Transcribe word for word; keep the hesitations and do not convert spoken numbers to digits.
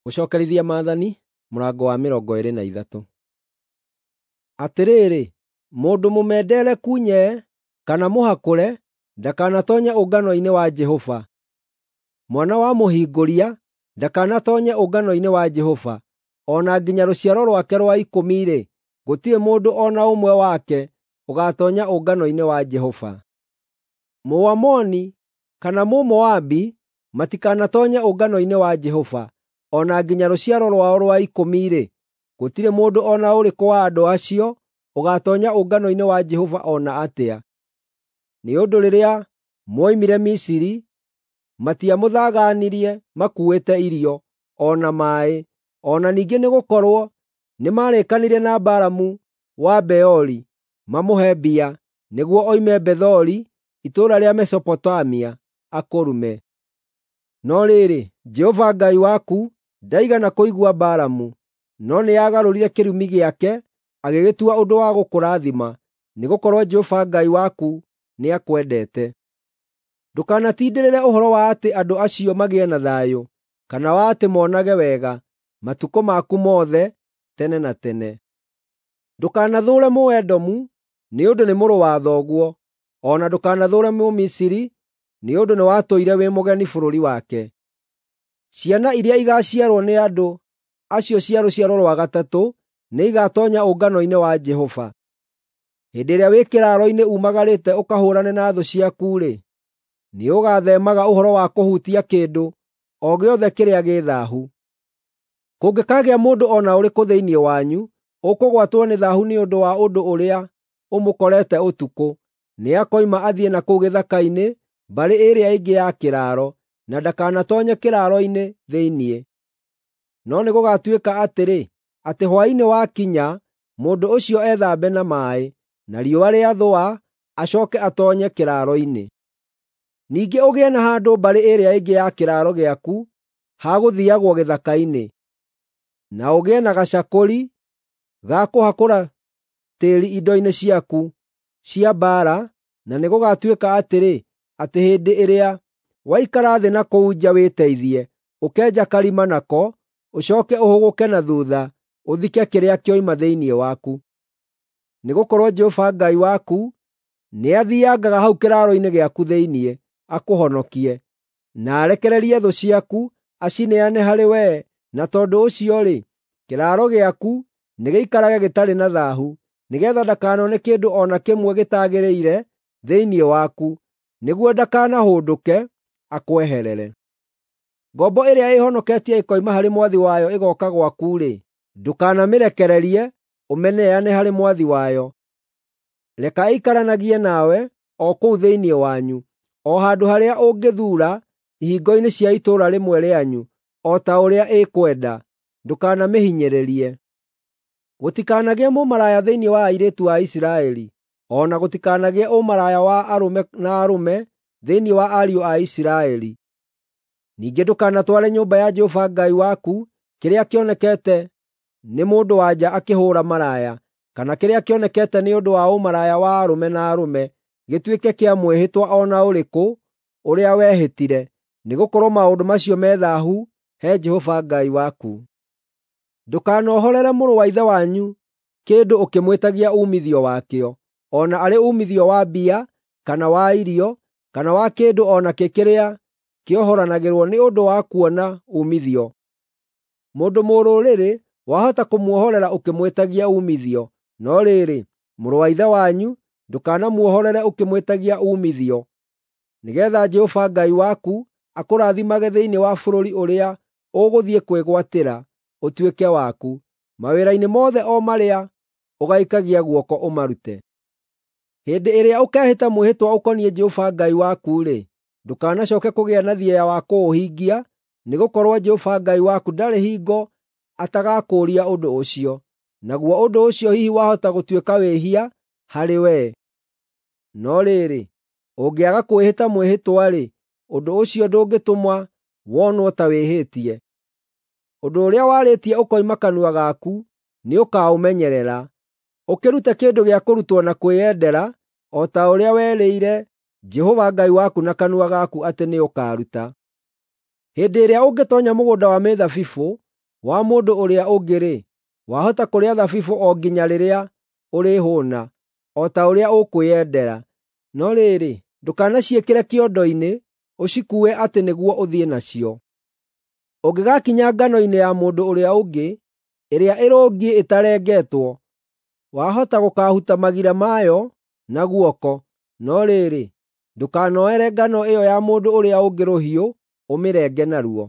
Gũcookerithia Maathani mũrango wa mĩrongo ĩĩrĩ na ithatũ. Atĩrĩrĩ, mũndũ mũmendereku nyee kana mũhakũre ndakanatoonye ũngano-inĩ wa Jehova. Mwana wa mũhingũria ndakanatoonye ũngano-inĩ wa Jehova, o na nginya rũciaro rwake rwa ikũmi-rĩ, gũtirĩ mũndũ o na ũmwe wake ũgaatoonya ũngano-inĩ wa Jehova. Mũamoni kana Mũmoabi matikanatoonye ũngano-inĩ wa Jehova, o na nginya rũciaro rwao rwa ikũmi-rĩ, gũtirĩ mũndũ o na ũrĩkũ wa andũ acio ũgaatoonya ũngano-inĩ wa Jehova o na atĩa. Nĩ ũndũ rĩrĩa mwoimire Misiri, matiamũthagaanirie makuuĩte irio, o na maaĩ, o na ningĩ nĩgũkorwo nĩmarĩkanĩire na Balamu wa Beori mamũhe mbia, nĩguo oime Bethori itũũra rĩa Mesopotamia akũrume. No rĩrĩ, Jehova Ngai waku ndaigana kũigua Balamu, no nĩagarũrire kĩrumi gĩake agĩgĩtua ũndũ wa gũkũrathima, nĩgũkorwo Jehova Ngai waku nĩakwendete. Ndũkanatindĩrĩre ũhoro wa atĩ andũ acio magĩe na thayũ, kana wa atĩ monage wega matukũ maku mothe tene na tene. Ndũkanathũũre Mũedomu, nĩ ũndũ nĩ mũrũ wa thoguo, o na ndũkanathũũre Mũmisiri, nĩ ũndũ nĩwatũire wĩ mũgeni bũrũri wake. Ciana iria igaaciarwo nĩ andũ acio cia rũciaro rwa gatatũ nĩigatoonya ũngano-inĩ wa Jehova. Hĩndĩ ĩrĩa wĩ kĩraaro-inĩ umagarĩte ũkahũũrane na thũ ciaku-rĩ, nĩũgatheemaga ũhoro wa kũhutia kĩndũ o gĩothe kĩrĩa gĩ thaahu. Kũngĩkaagĩa mũndũ o na ũrĩkũ thĩinĩ wanyu ũkũgwatwo nĩ thaahu nĩ ũndũ wa ũndũ ũrĩa ũmũkorete ũtukũ, nĩakoima athiĩ na kũu gĩthaka-inĩ mbarĩ ĩrĩa ĩngĩ ya kĩraaro, na ndakanatoonye kĩraaro-inĩ thĩinĩ. No nĩgũgatuĩka atĩrĩ, atĩ hwaĩ-inĩ wakinya mũndũ ũcio ethambe na maaĩ, na riũa rĩathũa acooke atoonye kĩraaro-inĩ. Ningĩ ũgĩe na handũ mbarĩ ĩrĩa ĩngĩ ya kĩraaro gĩaku ha gũthiiagwo gĩthaka-inĩ, na ũgĩe na gacakũri ga kũhakũra tĩĩri indo-inĩ ciaku cia mbaara, na nĩgũgatuĩka atĩrĩ, atĩ hĩndĩ ĩrĩa waikara thĩ na kũu nja wĩteithie, ũkenja karima nako, ũcooke ũhũgũke na thuutha ũthike kĩrĩa kĩoima thĩinĩ waku. Nĩgũkorwo Jehova Ngai waku nĩathiangaga hau kĩraaro-inĩ gĩaku thĩinĩ akũhonokie, na arekererie thũ ciaku acineane harĩ wee, na tondũ ũcio-rĩ, kĩraaro gĩaku nĩgĩikarage gĩtarĩ na thaahu, nĩgeetha ndakanone kĩndũ o na kĩmwe gĩtagĩrĩire thĩinĩ waku, nĩguo ndakanahũndũke akweherere. Ngombo ĩrĩa ĩĩhonoketie ĩkoima harĩ mwathi wayo ĩgooka gwaku-rĩ, ndũkanamĩrekererie ũmĩneane harĩ mwathi wayo. Reka ĩikaranagie nawe o kũu thĩinĩ wanyu, o handũ harĩa ũngĩthuura ihingo-inĩ cia itũũra rĩmwe rĩanyu, o ta ũrĩa ĩkwenda. Ndũkanamĩhinyĩrĩrie. Gũtikanagĩe mũmaraya thĩinĩ wa airĩtu a Isiraeli, o na gũtikanagĩe ũmaraya wa arũme na arũme thĩinĩ wa ariũ a Isiraeli. Ningĩ ndũkanatware nyũmba ya Jehova Ngai waku kĩrĩa kĩonekete nĩ mũndũ-wa-nja akĩhũũra maraya, kana kĩrĩa kĩonekete nĩ ũndũ wa ũmaraya wa arũme na arũme gĩtuĩke kĩa mwĩhĩtwa o na ũrĩkũ ũrĩa wehĩtire, nĩgũkorwo maũndũ macio me thaahu he Jehova Ngai waku. Ndũkanohorere mũrũ wa ithe wanyu kĩndũ ũkĩmwĩtagia uumithio wakĩo, o na arĩ uumithio wa mbia, kana wa irio, kana wa kĩndũ o nakĩ kĩrĩa kĩohoranagĩrwo nĩ ũndũ wa kuona uumithio. Mũndũ mũrũrĩrĩ wahota kũmuohorera ũkĩmwĩtagia uumithio, no rĩrĩ, mũrũ wa ithe wanyu ndũkanamuohorere ũkĩmwĩtagia uumithio, nĩgeetha Jehova Ngai waku akũrathimage thĩinĩ wa bũrũri ũrĩa ũgũthiĩ kwĩgwatĩra ũtuĩke waku, mawĩra-inĩ mothe o marĩa ũgaikagia guoko ũmarute. Hĩndĩ ĩrĩa ũkeehĩta mwĩhĩtwa ũkoniĩ Jehova Ngai waku-rĩ, ndũkanacooke kũgĩa na thieya wa kũũhingia, nĩgũkorwo Jehova Ngai waku ndarĩ hingo atagakũũria ũndũ ũcio, naguo ũndũ ũcio hihi wahota gũtuĩka wĩhia harĩ wee. No rĩrĩ, ũngĩaga kwĩhĩta mwĩhĩtwa-rĩ, ũndũ ũcio ndũngĩtũma wonwo ta wĩhĩtie. Ũndũ ũrĩa warĩtie ũkoima kanua gaku nĩũkaũmenyerera, ũkĩrute kĩndũ gĩa kũrutwo na kwĩyendera, o ta ũrĩa werĩire Jehova Ngai waku na kanua gaku atĩ nĩũkaruta. Hĩndĩ ĩrĩa ũngĩtoonya mũgũnda wa mĩthabibũ wa mũndũ ũrĩa ũngĩ-rĩ, wahota kũrĩa thabibũ o nginya rĩrĩa ũrĩhũũna, o ta ũrĩa ũkwĩyendera. No rĩrĩ, ndũkanaciĩkĩre kĩondo-inĩ ũcikuue atĩ nĩguo ũthiĩ nacio. Ũngĩgakinya ngano-inĩ ya mũndũ ũrĩa ũngĩ, ĩrĩa ĩrũngiĩ ĩtarengetwo, wahota gũkaahuta magira mayo na guoko, no rĩrĩ, ndũkanoere ngano ĩyo ya mũndũ ũrĩa ũngĩ rũhiũ ũmĩrenge naruo.